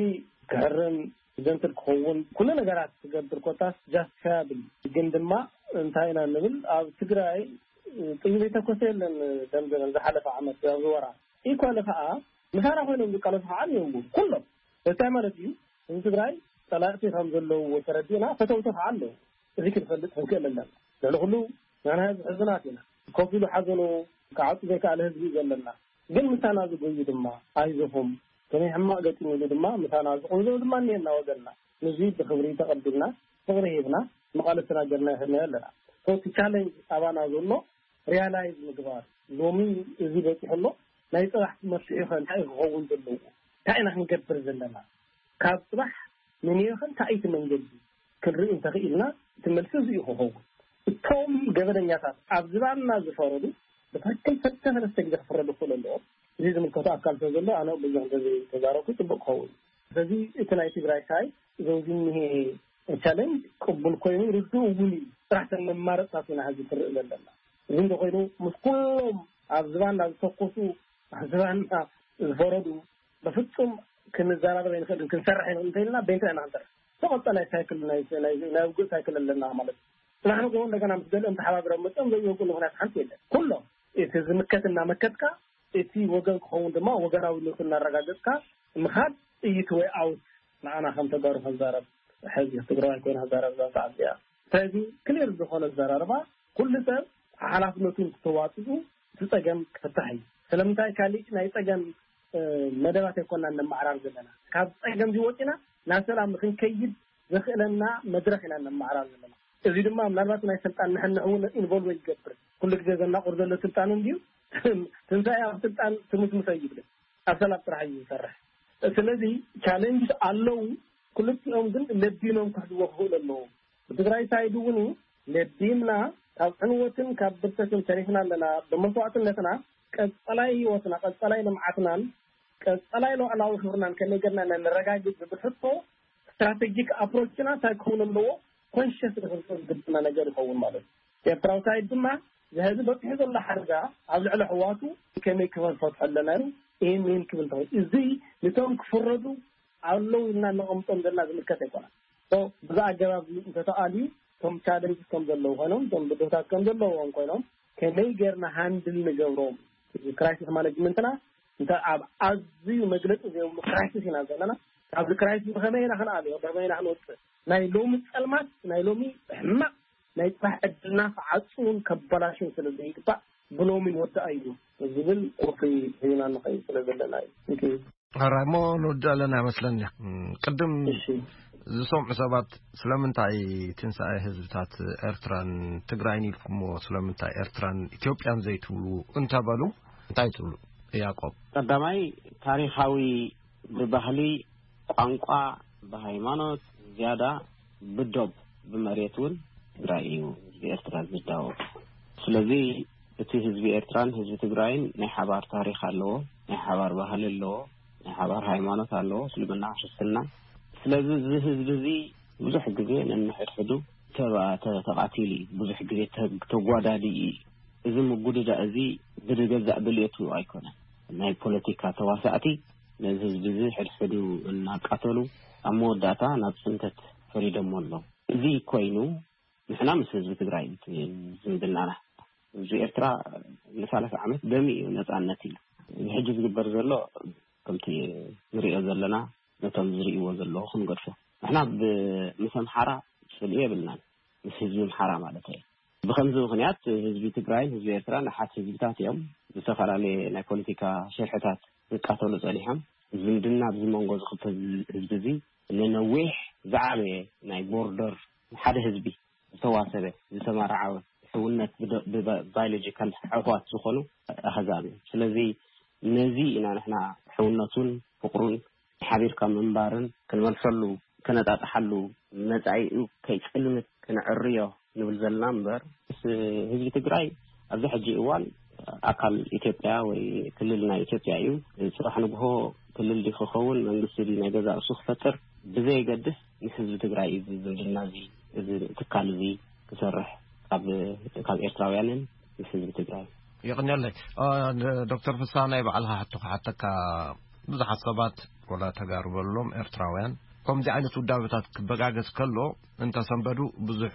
ክሕርን ጀንትል ክኸውን ኩሉ ነገራት ክገብር ኮታስ justifiable። ግን ድማ እንታይ ኢና ንብል? ኣብ ትግራይ ጥይት ዘይተኮሰ የለን። ደምዘበን ዝሓለፈ ዓመት ኣብዚ ወራ ኢኳሊ ከዓ ምሳና ኮይኖም ዝቃለሱ ከዓ ኣለዉ። ኩሎም እንታይ ማለት እዩ? ህዝቢ ትግራይ ፀላእቲ ከም ዘለውዎ ተረዲእና ፈተውቲ ከዓ ኣለዉ። እዚ ክንፈልጥ ክንክእል ኣለና። ልዕሊ ኩሉ ናና ህዝቢ ሕዙናት ኢና። ኮፍ ኢሉ ሓዘኑ ክዓፁ ዘይከኣለ ህዝቢ እዩ ዘለና። ግን ምሳና ዝጎዩ ድማ ኣይዞኹም ከመይ ሕማቕ ገጢሙ ኢሉ ድማ ምሳና ዝቕንዞ ድማ እኒሀና ወገንና። ንዚ ብክብሪ ተቐቢልና ፍቕሪ ሂብና መቓለስና ገርና ይኸድናዮ ኣለና። So እቲ challenge ኣባና ዘሎ realize ምግባር ሎሚ እዚ በፂሑ ኣሎ ናይ ፅባሕ መፍትሒ ከ እንታይ ክኸውን ዘለዎ እንታይ ኢና ክንገብር ዘለና ካብ ፅባሕ ንንዮኸ እንታይ እቲ መንገዲ ክንርኢ እንተኽኢልና እቲ መልሲ እዚ እዩ ክኸውን። እቶም ገበነኛታት ኣብ ዝባንና ዝፈረዱ ብትክክል ሰለስተ ሰለስተ ግዜ ክፍረዱ ክኽእሉ ኣለዎም። እዚ ዝምልከቶ ኣካል ስለ ዘሎ ኣነ ብዙሕ እንተዘይተዛረብኩ ፅቡቅ ክኸውን። ስለዚ እቲ ናይ ትግራይ ሳይ ዘውዚ እኒሄ ቻለንጅ ቅቡል ኮይኑ ርዱእ እውን እዩ። ስራሕ ተን መማረፅታት ኢና ሕዚ ትርኢ ዘለና። እዚ እንተኮይኑ ምስ ኩሎም ኣብ ዝባንና ዝተኮሱ ኣብ ዝባንና ዝፈረዱ በፍፁም ክንዘራረብ ኣይንኽእልን ክንሰርሕ ኣይንኽእል እንተኢልና በይንትና ኢና ክንሰርሕ። ተቐፀላይ ሳይክል ናይ ናይ ውግእ ሳይክል ኣለና ማለት እዩ። ንሕና ከውን እንደገና ምስ ገለ እንተሓባብረ መፅኦም ዘይወግእሉ ምክንያት ሓንቲ የለን። ኩሎም እቲ ዝምከት እናመከትካ እቲ ወገን ክኸውን ድማ ወገናዊነቱ እናረጋገፅካ ምኻድ ጥይት ወይ ኣውት ንዓና ከም ተጋሩ ከዛረብ ሕዚ ትግራዋይ ኮይና ከዛረብ እዛ ሰዓት እዚኣ። ስለዚ ክሊር ዝኾነ ኣዘራርባ ኩሉ ሰብ ሓላፍነቱ እንትተዋፅኡ እቲ ፀገም ክፍታሕ እዩ። ስለምንታይ ካሊእ ናይ ፀገም መደባት ኣይኮና እነመዓራር ዘለና። ካብ ፀገም እዚ ወፂና ናብ ሰላም ንክንከይድ ዘኽእለና መድረኽ ኢና እነመዓራር ዘለና። እዚ ድማ ምናልባት ናይ ስልጣን ንሕንሕ እውን ኢንቮልቭ ይገብር። ኩሉ ግዜ ዘናቁር ዘሎ ስልጣኑ እንድዩ ትንሳኤ ኣብ ስልጣን ትምስምሰ ይብል ኣብ ሰላም ጥራሕ እዩ ዝሰርሕ። ስለዚ ቻለንጅ ኣለዉ። ክልቲኦም ግን ለቢኖም ክሕዝዎ ክኽእሉ ኣለዎም። ብትግራይ ሳይድ እውን ለቢምና ካብ ዕንወትን ካብ ብርሰትን ተሪፍና ኣለና። ብመስዋዕትነትና ቀፀላይ ህይወትና ቀፀላይ ልምዓትናን ቀፀላይ ሉዓላዊ ክብርናን ከመይ ገርና ነረጋግፅ ዝብል ሕቶ ስትራቴጂክ ኣፕሮችና እንታይ ክኸውን ኣለዎ ኮንሽስ ንክንፅር ዝግብና ነገር ይኸውን ማለት እዩ። ኤርትራዊ ሳይድ ድማ ዝህዚ በፂሑ ዘሎ ሓደጋ ኣብ ልዕሊ ኣሕዋቱ ከመይ ክፈትሖ ኣለና እዩ። ይህን ይህን ክብል እንተኾይኑ እዚ ንቶም ክፍረዱ ኣለዉ ኢልና ነቐምጦም ዘለና ዝምልከት ኣይኮነን። ብዛ ኣገባብ እንተተኣልዩ እቶም ቻለንጅ ከም ዘለዉ ኮይኖም እቶም ብድሆታት ከም ዘለዎም ኮይኖም ከመይ ጌርና ሃንድል ንገብሮም ክራይሲስ ማነጅመንትና እንተ ኣብ ኣዝዩ መግለፂ ዘይብሉ ክራይሲስ ኢና ዘለና። ካብዚ ክራይሲስ ብኸመይ ኢና ክንኣልዮ ብኸመይ ኢና ክንወፅእ ናይ ሎሚ ፀልማት ናይ ሎሚ ሕማቕ ናይ ፅባሕ ዕድልና ክዓፅውን ከበላሽን ስለ ዘይግባእ ብሎሚ ንወዳኣ እዩ ዝብል ቁርፊ ሒዝና ንኸይድ ስለ ዘለና እዩ። ሕራይ እሞ ንወድእ ኣለና ይመስለኒ። ቅድም ዝሰምዑ ሰባት ስለምንታይ ትንሳኤ ህዝብታት ኤርትራን ትግራይን ኢልኩሞ ስለምንታይ ኤርትራን ኢትዮጵያን ዘይትብሉ እንተበሉ እንታይ ትብሉ? ያቆብ። ቀዳማይ ታሪኻዊ ብባህሊ ቋንቋ ብሃይማኖት ዝያዳ ብዶብ ብመሬት እውን ትግራይ እዩ ህዝቢ ኤርትራ ዝዳወብ። ስለዚ እቲ ህዝቢ ኤርትራን ህዝቢ ትግራይን ናይ ሓባር ታሪክ ኣለዎ፣ ናይ ሓባር ባህሊ ኣለዎ፣ ናይ ሓባር ሃይማኖት ኣለዎ፣ እስልምና ክርስትና። ስለዚ እዚ ህዝቢ እዚ ብዙሕ ግዜ ነንሕድሕዱ ተባ- ተ- ተቃቲሉ እዩ፣ ብዙሕ ግዜ ተ- ተጓዳዲ እዩ። እዚ ምጉድዳ እዚ ብገዛእ ድልየቱ ኣይኮነን። ናይ ፖለቲካ ተዋሳእቲ ነዚ ህዝቢ እዚ ሕድሕዱ እናቃተሉ ኣብ መወዳእታ ናብ ፅንተት ፈሪዶሞ ኣለዉ። እዚ ኮይኑ ንሕና ምስ ህዝቢ ትግራይ ዝምድናና ህዝቢ ኤርትራ ንሳላሳ ዓመት ደሚ እዩ ነፃነት ኢሉ። እዚ ሕጂ ዝግበር ዘሎ ከምቲ ንሪኦ ዘለና ነቶም ዝርእይዎ ዘለዉ ክንገድፎ ንሕና ምስ ኣምሓራ ፅልኢ የብልናን ምስ ህዝቢ ኣምሓራ ማለት እዩ። ብከምዚ ምክንያት ህዝቢ ትግራይን ህዝቢ ኤርትራን ኣሓት ህዝብታት እዮም። ዝተፈላለየ ናይ ፖለቲካ ሽርሕታት ዝቃተሉ ጸኒሖም። ዝምድና ኣብዚ መንጎ ዝኽፈል ህዝቢ እዚ ንነዊሕ ዝዓበየ ናይ ቦርደር ሓደ ህዝቢ ዝተዋሰበ ዝተመራዓወ ሕውነት ብደ- ብባ- ባዮሎጂካል ኣሕዋት ዝኾኑ ኣህዛብ እዮም። ስለዚ ነዚ ኢና ንሕና ሕውነቱን ፍቕሩን ሓቢርካ ምንባርን ክንመልሰሉ ከነጣጥሓሉ መጻኢኡ ከይጽልምት ክንዕርዮ ንብል ዘለና እምበር ምስ ህዝቢ ትግራይ ኣብዚ ሕጂ እዋን ኣካል ኢትዮጵያ ወይ ክልል ናይ ኢትዮጵያ እዩ። ጽባሕ ንግሆ ክልል ዲ ክኸውን መንግስቲ ዲ ናይ ገዛ እሱ ክፈጥር ብዘየገድስ ንህዝቢ ትግራይ እዩ ዝምድና እዚ እዚ ትካል እዚ ክሰርሕ ካብ ካብ ኤርትራውያንን ምስ ህዝቢ ትግራይ። የቕንየለይ። ዶክተር ፍሳ ናይ ባዕልኻ ሕቶ ክሓተካ። ብዙሓት ሰባት ወላ ተጋሩ በሎም ኤርትራውያን ከምዚ ዓይነት ውዳበታት ክበጋገስ ከሎ እንተሰንበዱ ብዙሕ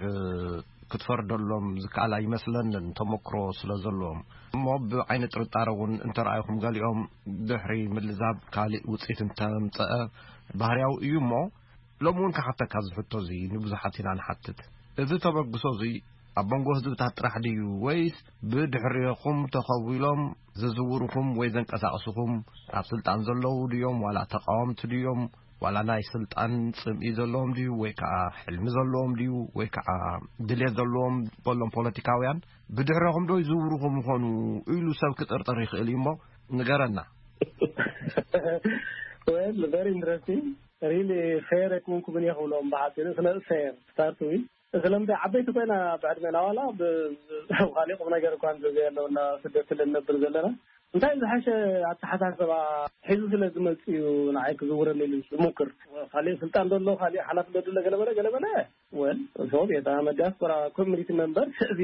ክትፈርደሎም ዝከኣል ኣይመስለንን፣ ተመክሮ ስለ ዘለዎም። እሞ ብዓይነ ጥርጣረ እውን እንተረኣይኹም ገሊኦም ድሕሪ ምልዛብ ካልእ ውፅኢት እንተምፀአ ባህርያዊ እዩ። እሞ ሎም እውን ክሓተካ ዝሕቶ እዚ ንብዙሓት ኢና ንሓትት። እዚ ተበግሶ እዚ ኣብ መንጎ ህዝብታት ጥራሕ ድዩ ወይስ ብድሕሪኹም ተኸዊሎም ዝዝውርኹም ወይ ዘንቀሳቕስኹም ኣብ ስልጣን ዘለዉ ድዮም ዋላ ተቃወምቲ ድዮም ዋላ ናይ ስልጣን ጽምኢ ዘለዎም ድዩ ወይ ከዓ ሕልሚ ዘለዎም ድዩ ወይ ከዓ ድሌት ዘለዎም በሎም ፖለቲካውያን ብድሕረኹም ዶ ይዝውርኹም ይኾኑ ኢሉ ሰብ ክጥርጥር ይኽእል እዩ። እሞ ንገረና። Well, very interesting. Really fair ኣይኮንኩምን እየ ክብሎም ብሓፂሩ። ስለ ፌር ስታርት ዊዝ ስለምንታይ ዓበይቲ ኮይና ብዕድሜና ዋላ ካልእ ቁም ነገር እኳ እንተዘየለውና ስደት ስለ እንነብር ዘለና እንታይ ዝሓሸ ኣተሓሳሰባ ሒዙ ስለ ዝመፅእ እዩ ንዓይ ክዝውረኒ ኢሉ ዝሙክር። ካልእ ስልጣን ዘሎ ካልእ ሓላፍነት ዘሎ ገለበለ ገለበለ ወል ሶብ የታ መዲያስፖራ ኮሚኒቲ መንበር እዚ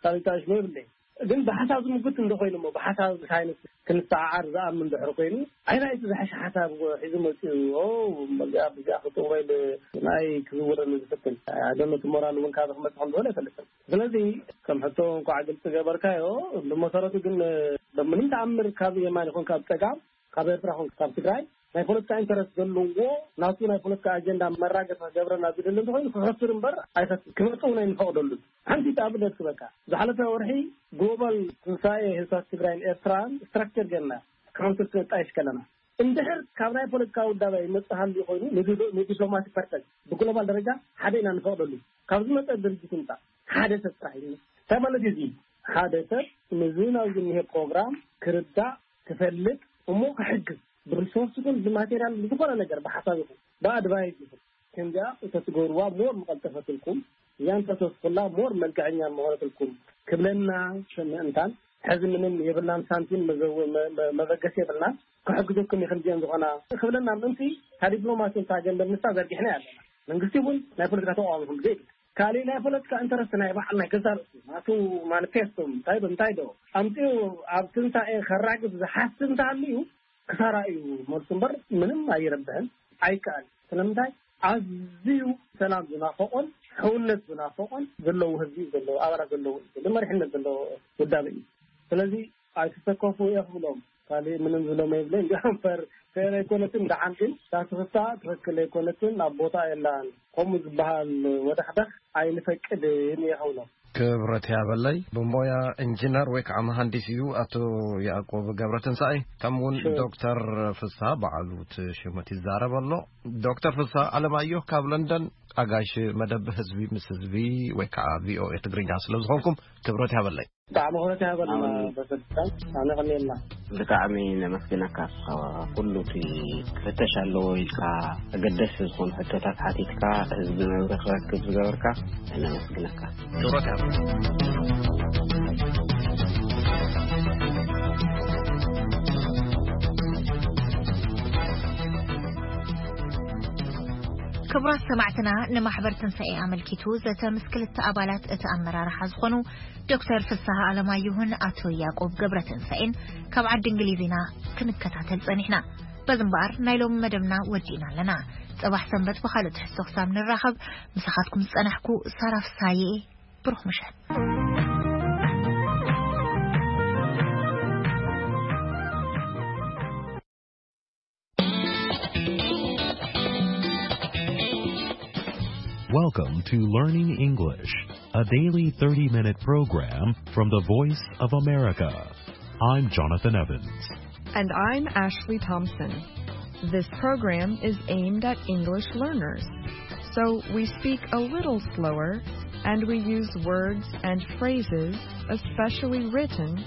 ካልእ ታሽሞ ይብለይ። ግን ብሓሳብ ዝምጉት እንዶ ኮይኑ እሞ ብሓሳብ ሳይንስ ክንሰዓዓር ዝኣምን ድሕሪ ኮይኑ ኣይና እቲ ዝሓሽ ሓሳብ ሒዙ መፅኡ ኦ መዚኣ ብዚኣ ክጥወል ናይ ክዝውረኒ ዝፍትን ኣደነቱ ሞራል እውን ካብ ክመፅእ ከም ዝሆነ ኣይፈልጥን። ስለዚ ከም ሕቶ እንኳዕ ግልፂ ገበርካዮ። ብመሰረቱ ግን ብምንም ተኣምር ካብ የማን ይኹን ካብ ፀጋም ካብ ኤርትራ ይኹን ካብ ትግራይ ናይ ፖለቲካ ኢንተረስት ዘለዎ ናቱ ናይ ፖለቲካ ኣጀንዳ መራገፂ ክገብረና ዝደሊ እንተኮይኑ ክኸስር እምበር ኣይፈት ክመፅእ እውን ኣይንፈቕደሉን። ሓንቲ ኣብነት ክበካ ዝሓለፈ ወርሒ ግሎባል ትንሳኤ ህዝብታት ትግራይን ኤርትራን ስትራክቸር ገርና ካውንስል ክነጣይሽ ከለና እንድሕር ካብ ናይ ፖለቲካ ውዳበ ይመፅእ ሃልዩ ኮይኑ ንዲፕሎማቲክ ፐርፐዝ ብግሎባል ደረጃ ሓደ ኢና ንፈቕደሉ ካብ ዝመፀ ድርጅት ይምፃእ ሓደ ሰብ ጥራሕ እዩ። እንታይ ማለት እዩ እዚ ሓደ ሰብ ንዚ ናብዚ እኒሄ ፕሮግራም ክርዳእ ክፈልጥ እሞ ክሕግዝ ብሪሶርስ ይኹን ብማቴሪያል ዝኾነ ነገር ብሓሳብ ይኹን ብኣድቫይስ ይኹን ከምዚኣ እንተትገብርዋ ሞር ምቐልጠፈትልኩም እያ እንተተስኩላ ሞር መልክዐኛ ምኾነትልኩም ክብለና ምእንታን ሕዚ ምንም የብልናን ሳንቲም መበገሲ የብልናን ክሕግዘኩም ይኽንዚአን ዝኾና ክብለና ምእንቲ ካብ ዲፕሎማሲ እንታ ገንዘብ ንሳ ዘርጊሕና ኣለና መንግስቲ እውን ናይ ፖለቲካ ተቃዋሚ ይኹን ብዘይ ካልእ ናይ ፖለቲካ ኢንተረስት ናይ በዓል ናይ ገዛ ርእሱ ናቱ ማኒፌስቶ እንታይ ዶ እንታይ ዶ ኣምፂኡ ኣብ ትንሳኤ ከራግፍ ዝሓስብ እንተሃልዩ ክሳራ እዩ መልሱ እምበር ምንም ኣይረብሕን ኣይከኣል። ስለምንታይ ኣዝዩ ሰላም ዝናፈቆን ሕውነት ዝናፈቆን ዘለዉ ህዝቢ ዘለዉ ኣባላት ዘለዉ ህዝቢ መሪሕነት ዘለዎ ውዳበ እዩ። ስለዚ ኣይትሰከፉ እየ ክብሎም ካልእ ምንም ዝብሎም የብለይ። እንዲያውም ፈር ፌር ኣይኮነትን። ደሓን ግን እታ ትፍታ ትኽክል ኣይኮነትን፣ ኣብ ቦታ የላን። ከምኡ ዝበሃል ወደኽደኽ ኣይንፈቅድን እየ ክብሎም። ክብረት ያበለይ ብሞያ ኢንጂነር ወይ ከዓ መሃንዲስ እዩ ኣቶ ያዕቆብ ገብረትንሳኤ። ከም እውን ዶክተር ፍስሃ በዓሉ እቲ ሽመት ይዛረብ ኣሎ። ዶክተር ፍስሃ ኣለማየሁ ካብ ለንደን ኣጋሽ መደብ ህዝቢ ምስ ህዝቢ ወይ ከዓ ቪኦኤ ትግርኛ ስለ ዝኾንኩም ክብረት ያበለይ። ብጣዕሚ ክብረት ይሃበልና። በሰልጣን ኣነ ቀኒልና። ብጣዕሚ ነመስግነካ። ኩሉ እቲ ክፍተሽ ኣለዎ ኢልካ ኣገደስቲ ዝኾኑ ሕቶታት ሓቲትካ ህዝቢ መብሪ ክረክብ ዝገበርካ ነመስግነካ። ክብረት ይሃበልና። ክቡራት ሰማዕትና ንማሕበር ትንሳኤ ኣመልኪቱ ዘተ ምስ ክልተ ኣባላት እቲ ኣመራርሓ ዝኾኑ ዶክተር ፍስሃ ኣለማየሁን ኣቶ ያዕቆብ ገብረትንሳኤን ካብ ዓዲ እንግሊዝ ኢና ክንከታተል ጸኒሕና። በዚ እምበኣር ናይ ሎሚ መደብና ወዲእና ኣለና። ጽባሕ ሰንበት ብኻልእ ትሕዝቶ ክሳብ ንራኸብ ምሳኻትኩም ዝጸናሕኩ ሳራ ፍስሃየ። ብሩኽ ምሸት። Welcome to Learning English, a daily thirty minute program from the Voice of America. I'm Jonathan Evans. And I'm Ashley Thompson. This program is aimed at English learners. So we speak a little slower and we use words and phrases, especially written,